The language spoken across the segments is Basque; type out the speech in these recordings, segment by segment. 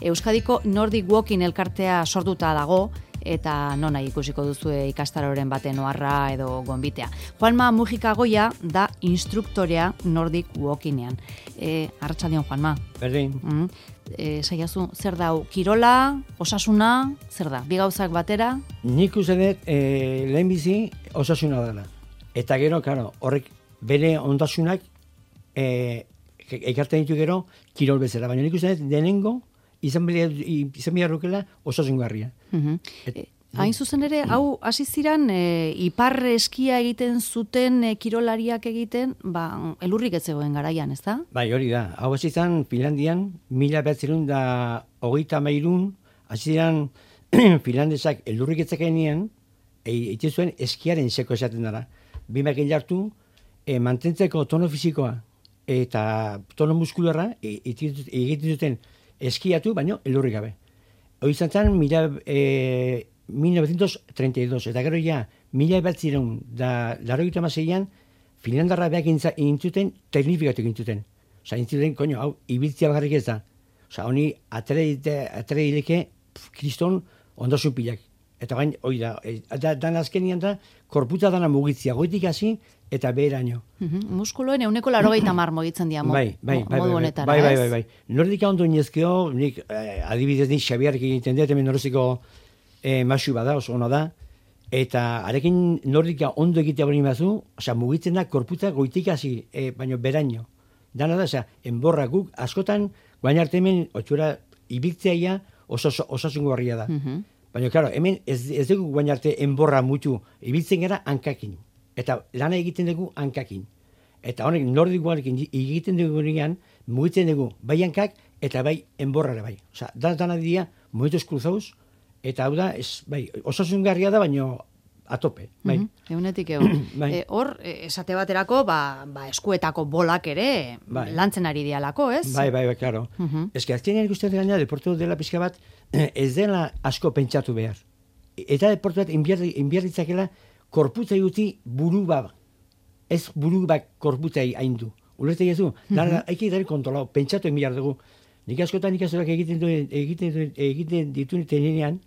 Euskadiko Nordic Walking elkartea sortuta dago, eta nona ikusiko duzue ikastaroren baten oharra edo gonbitea. Juanma Mujika Goia da instruktorea Nordic Walkingean. Arratsaldeon, Juanma. Berdin. Saiazu, zer da, kirola, osasuna, zer da, bi gauzak batera? Nik uste dut lehenbizi osasuna dela. Eta gero, claro, horrek bere ondasunak ekartzen ditu gero kirol bezala. Baina nik uste dut denengo izan beharrukela osasungarria. Hain zuzen ere, hau hasi ziren ipar eskia egiten zuten kirolariak egiten, elurrik ez zegoen garaian, ez da? Bai, hori da. Hau hasi zen Finlandian, 1933, hasi ziren finlandesak elurrik ez zekenean, egiten zuen eskiaren seko esaten dara. Bi makil hartu, mantentzeko tono fisikoa eta tono muskularra egiten zuten eskiatu, baino elurrik gabe. Hoi izan zen 1932, eta gero ja, 1986an, Finlandarra beak intzuten, teknifikatu intzuten. Osa, intzuten, hau, ibiltzia bakarrik ez da. Osa, honi, atere dileke, kriston ondasun pilak. Eta bain, hoi da, dan azkenian da, korputa dana mugitzia, goitik hasi, eta beheraino. Muskuloen 180 mugitzen dira modu honetara, ez? Bai. Nordika ondo inezkeo, nik adibidez nik Xabiarrik egiten dut, hemen noroziko masu bada, oso ono da, eta arekin nordika ondo egitea bori mazu, osea, mugitzen da korputa goitik hasi, baino beraino. Dana da, osea, enborra guk, askotan, guain arte hemen, otxura, ibiltzeaia osasungarria da. Baina, klaro, hemen ez dugu guain arte enborra mutu, ibiltzen gara hankakin. Eta lana egiten dugu hankakin. Eta honek nordikoarekin egiten dugu nian, mugitzen dugu bai hankak eta bai enborrare bai. Osea, dana dira mugitos cruzados, eta hau da, osasungarria da, baino atope. Bai. Eunetik egun. Hor, esate baterako, eskuetako bolak ere lantzen ari dialako, ez? Bai, klaro. Ez que azkenean ikusten gaina, deportu dela pixka bat, ez dela asko pentsatu behar. Eta deportu bat inbiarritzakela korputzai uti buru bat. Ez buru bat korputzai haindu. Ulertzei ez du? Haiki dari kontrolau, pentsatu enbiar dugu. Nik askotan ikastorak egiten ditu tenean,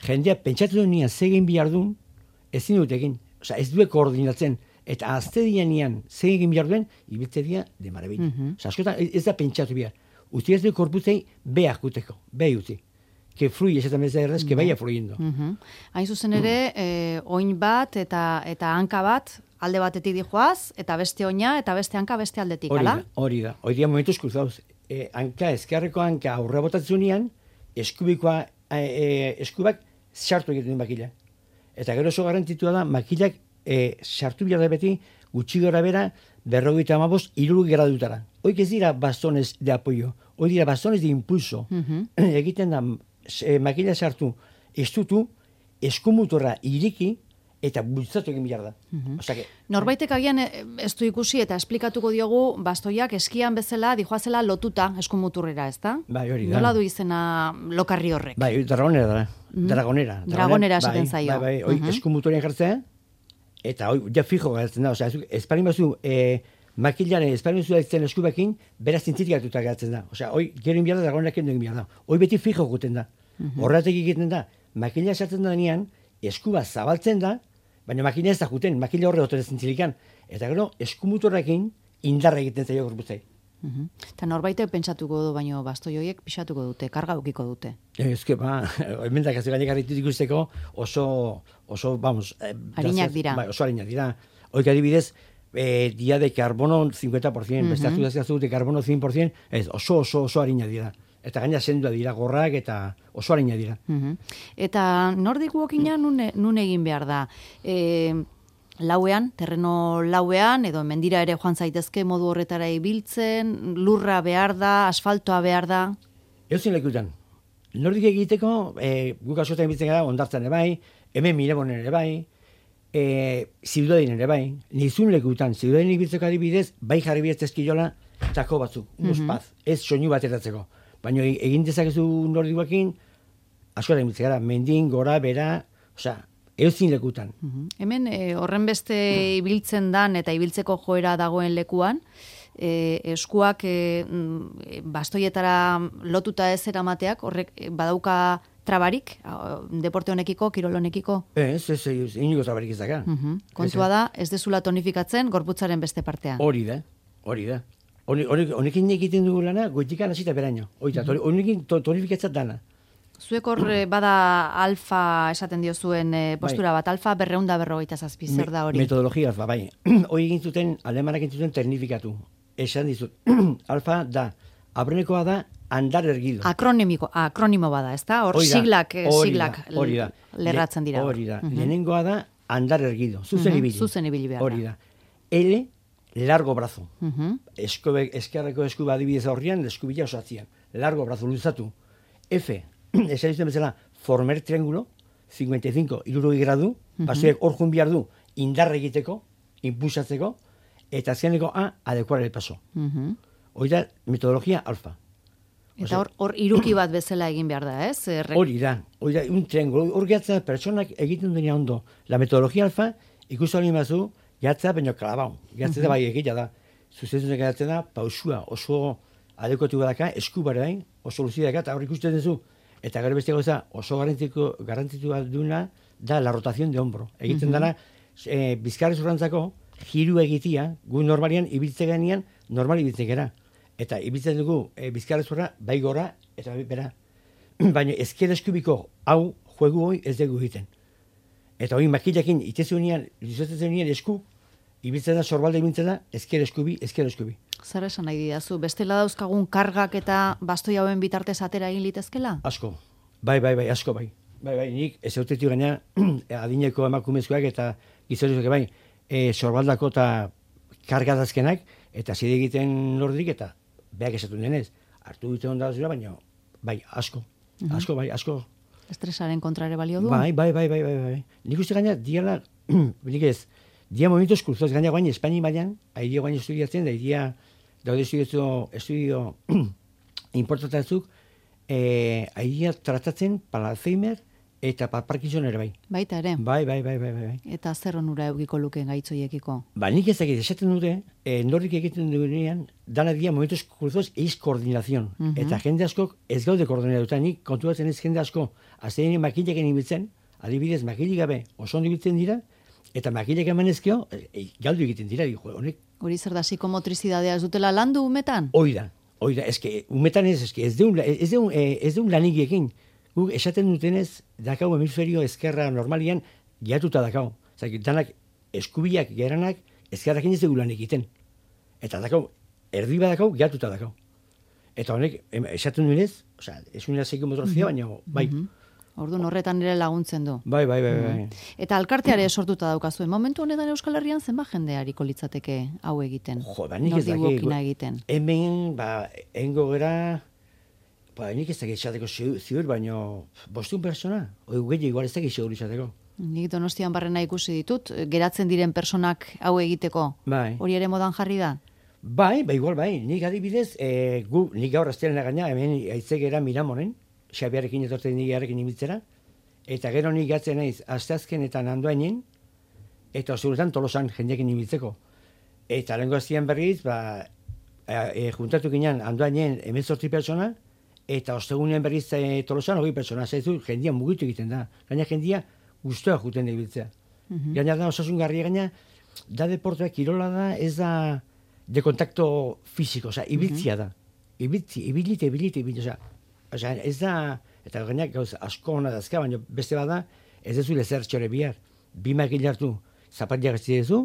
jendea pentsatu duen zegin bihar duen, ezin dut egin. Osa, ez duek koordinatzen. Eta azte dian zegin bihar duen, ibiltze dia de marabili. Osa, askotan ez da pentsatu bihar. Uti ez du korputzei behar guteko, behar uti. Que fluye esaten bezala errez, que vaya fluyendo. Hain zuzen ere, oin bat eta hanka bat, alde batetik dijoaz, eta beste oina, eta beste hanka beste aldetik, ala? Hori da. Hori da momentuz cruzados. Ezkerreko hanka aurre botatzunean, eskubak sartu egiten makila. Eta gero oso garantitua da, makilak sartu behar da beti, gutxi gora bera, 55, 60 gradutara. Hoik ez dira bastones de apoyo, hoi dira bastones de impulso. Egiten da, makila sartu, estutu, eskumutorra iriki, eta bultzatu egin behar da. Norbaitek agian ez du ikusi eta esplikatuko diogu bastoiak eskian bezala dijoazela lotuta eskumuturrera, ez da? Bai, hori da. Nola du izena lokarri horrek? Bai, dragonera da. Dragonera esaten zaio. Bai, eskumutorean jartzea, eta ja fijo garatzen da. Esparin bazu, makilaren esparin bazu daitzen eskubekin, beraz zintzitik hartuta garatzen da. Gero inbiar da, dragonerak egin inbiar da. Hoi beti fijo guten da. Horretik egiten da, makila sartzen da denean, eskuba zabaltzen da, baina makina ez da juten, makila horre dut zintzilikan. Eta gero, eskumutorrekin indarra egiten zaio gorputzai. Eta norbaitek pentsatuko du, baino bastoi horiek pixatuko dute, karga ukiko dute. Ezke, hemendak ez gainek arritu ikusteko oso, vamos... Harinak dira. Oso harinak dira. Hoik adibidez, dia de carbono 50%, beste hartu dazkazu de carbono 100%, oso harinak dira. Eta gaina sendua dira gorrak eta oso harina dira. Eta Nordic Walkinga nun egin behar da? Lauean, terreno lauean, edo mendira ere joan zaitezke modu horretara ibiltzen, lurra behar da, asfaltoa behar da? Euzin lekutan. Nordik egiteko, guk askotan ibiltzen gara, ondartzan ere bai, hemen Mirebonen ere bai, Ziudadin ere bai, nizun lekutan, Ziudadin ibiltzeko adibidez, bai jarri bidez eskiola, tako batzuk, unos paz, ez soinu bat eratzeko. Baina egin dezakezu Nordic Walking, askotan ibiltzen gara, mendin, gora, bera, euzin lekutan. Hemen horren beste ibiltzen dan eta ibiltzeko joera dagoen lekuan, eskuak bastoietara lotuta ez eramateak, horrek badauka trabarik, deporte honekiko, kirol honekiko? Ez, inigo trabarik ez daka. Kontua da, ez dezula tonifikatzen gorputzaren beste partea. Hori da. Honekin egiten dugu lana, goitikan hasita beraino. Honekin tonifikatzat dana. Zuek hor bada alfa esaten diozuen postura bat, alfa 247, zer da hori? Metodologia alfa, bai. Hori egin zuten, alemanak egin zuten ternifikatu. Esan dizut, alfa da, aurrenekoa da, andar ergido. Akronimo bada, ez da? Hor siglak lerratzen dira. Hori da, lehenengoa da, andar ergido, zuzen ibili behar da. Hori da. L, largo brazo. Eskerreko esku adibidez aurrian, eskubila osatzian. Largo brazo, luzatu. F, esan dizuten bezala, former triángulo, 55, 60 gradu, basoek hor jun behar du, indar egiteko, impulsatzeko, eta azkeneko A, adecuar el paso. Hori da, metodologia alfa. Eta hor iruki bat bezala egin behar da, ez? Hori da, un triángulo. Hor gehatzea, pertsonak egiten duena ondo. La metodologia alfa, ikustu alin bazu, gehatzea, baino kalabau. Gehatzea bai egitea da. Zuzentzen gehatzea da, pausua oso adekotu badaka, esku barein, oso luzia daka, eta hor ikusten duzu. Eta gero beste gauza, oso garantzitu duna da la rotación de hombro. Egiten dana, bizkarrez urrantzako, jiru egitia, gu normalian ibiltzen ganean, normal ibiltzen gara. Eta ibiltzen dugu bizkarrezurra, bai gora, eta bera. Baina ezker eskubiko hau juegu hoi ez dugu egiten. Eta hori makilakin itezunean, luzetzen esku, ibiltzen da, sorbalde ibiltzen da, ezker eskubi. Zer esan nahi didazu? Bestela dauzkagun kargak eta bastoi hauen bitartez atera egin litezkela? Asko. Bai, asko bai. Bai, nik ez autetik gaina adineko emakumezkoak eta gizorizuak bai, sorbaldako eta kargadazkenak, eta zide egiten lordik eta beak esatu denez. Artu dute onda zura, baina bai, asko. Asko. Estresaren kontrare balio du? Bai. Nik uste gaina, diala, nik ez, dia momentos cruzados gaina guain Espaini baian, aidia guain estudiatzen, da idia daude estudio importantatzuk, aidia tratatzen para Alzheimer eta para Parkinson ere bai. Baita ere? Bai. Eta zer onura eukiko lukeen gaitzoiekiko? Nik ez dakit, esaten dute, norrik egiten dugunean, dana dia momentos cruzados eiz koordinazion. Eta jende askok ez gaude koordinatuta, nik kontuatzen ez jende asko, azteinen makilaken ibiltzen, adibidez makilik gabe oso ondo ibiltzen dira, eta makilek emanezkeo, galdu egiten dira, honek. Hori zer da, psikomotrizidadea ez dutela landu umetan? Hoi da, umetan ez deun lanik ekin. Guk esaten dutenez, dakau hemisferio ezkerra normalian, gehatuta dakau. Zaki, danak eskubiak geranak, ezkerrakin ez dugu lan egiten. Eta dakau, erdi badakau, gehatuta dakau. Eta honek, esaten duenez, ez unera psikomotrizia, baina bai. Orduan horretan ere laguntzen du. Bai. Eta alkarteare sortuta daukazuen. Momentu honetan Euskal Herrian zenba jende hariko litzateke hau egiten? Nik ez dakik. Egiten. Hemen, engo gera, nik ez dakik esateko ziur, baina 500 persona. Gehiago igual ez dakik ziur izateko. Nik Donostian barrena ikusi ditut, geratzen diren personak hau egiteko. Bai. Hori ere modan jarri da? Bai. Nik adibidez, nik gaur aztelena gaina, hemen aitzegera Miramonen, Xabiarekin etortzen nigarekin ibiltzera, eta gero nik gatzen naiz asteazkenetan Andoainen, eta osuretan Tolosan jendekin ibiltzeko. Eta lehenko aztian berriz, juntatu ginean Andoainen 18 pertsona, eta ostegunean berriz Tolosan 20 pertsona, zaizu jendia mugitu egiten da. Gaina jendia guztua juten da ibiltzea. Gaina da osasungarria, gaina da deportua kirola da, ez da de kontakto fisiko, ibiltzia da. Ibilite, ez da, eta gainak gauz asko hona dazka, baina beste bada, ez dezu lezer txore bihar. Bi makil hartu, zapatiak ez dezu,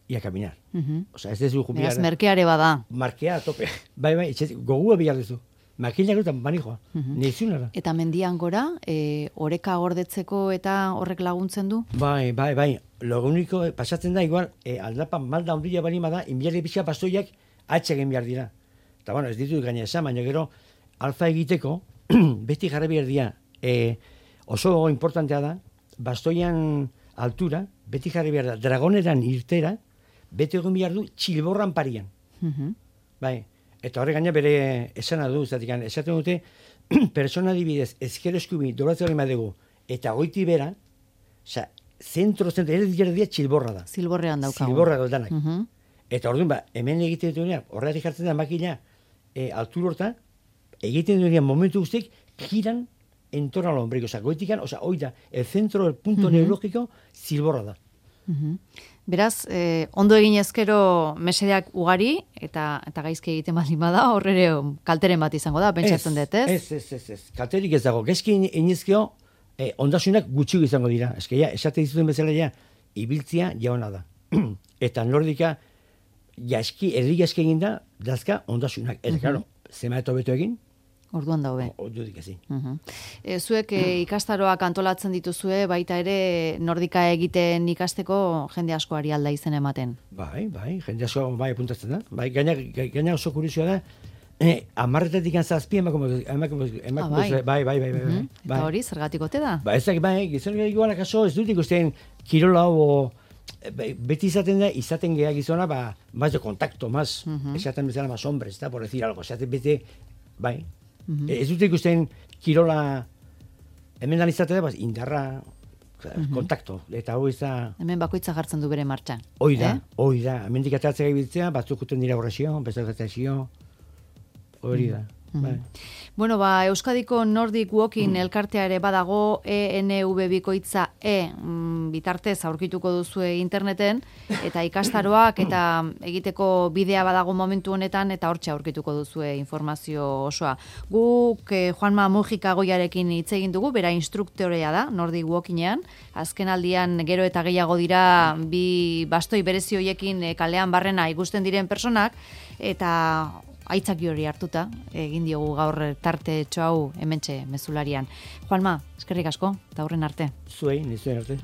ia kaminar. Ez dezu jubilar. Beraz, merkeare bada. Markea, tope. Bai, gogua bihar dezu. Makilak eta manijoa, nizunara. Eta mendian gora, oreka gordetzeko eta horrek laguntzen du? Bai. Lo único, pasatzen da, igual, aldapan malda ondila bali bada, inbiarri pixka pastoiak atxegen behar dira. Eta, ez ditut gaina esan, baina gero, alfa egiteko, beti jarri behar dira, oso importantea da, bastoian altura, beti jarri behar da, dragoneran irtera, beti egon behar du txilborran parian. Bai, eta horre gaina bere esana du, esaten dute, persona adibidez, ezker eskubi, doratzen hori madegu, eta goiti bera, zentro, ere dira txilborra da. Zilborrean daukagu. Zilborra danak. Eta orduan, hemen egiten duenean, horretik jartzen da makina altur horta, egiten duenean momentu guztiek, giran en torno al ombligo. Osa, goitikan, hoi da, el centro, el punto neurologiko, zilborra da. Beraz, ondo egin ezkero mesedeak ugari, eta gaizki egiten baldin bada, horrere kalteren bat izango da, pentsatzen dut, ez? Ez. Kalterik ez dago. Gaizki inizkio, ondasunak gutxi izango dira. Eskeia, esate dizuten bezala ja, ibiltzia jauna da. Eta nordika, erdi gaizki egin da, dazka ondasunak. Eta, claro, zema eta hobeto egin, Orduan daube. Ordudik ezin. Zuek ikastaroak antolatzen dituzue, baita ere nordika egiten ikasteko jende asko ari alda izen ematen. Bai, jende asko apuntatzen da. Bai, gaina oso kuriosioa da, 10-etatik zazpi bai. Eta hori, zergatik ote da? Ba, ezak, gizon igualak aso, ez dut ikusten kirola hau, beti izaten geha gizona, más de contacto, más, esaten bezala, más hombres, por decir algo, esaten bete, bai. Ez dut ikusten kirola, hemen dan izatea, indarra, kontakto, eta hori da... Hemen bakoitza jartzen du bere martxan. Hoi da, hemen dikatatzea ibiltzea, batzuk uten dira horrezio, bezalgatazio, hori da. Bueno, Euskadiko Nordic Walking elkartea ere badago, ENV bikoitza bitartez aurkituko duzue interneten, eta ikastaroak eta egiteko bidea badago momentu honetan, eta hortxe aurkituko duzue informazio osoa. Guk Juanma Mujika Goiarekin hitz egin dugu, bera instruktorea da, Nordic Walkingean, azken aldian gero eta gehiago dira bi bastoi berezi hoiekin kalean barrena ikusten diren personak, eta aitzaki hori hartuta, egin diogu gaur tarte hau hementxe mezularian. Juanma, eskerrik asko, eta horren arte. Zuei, nizuen arte.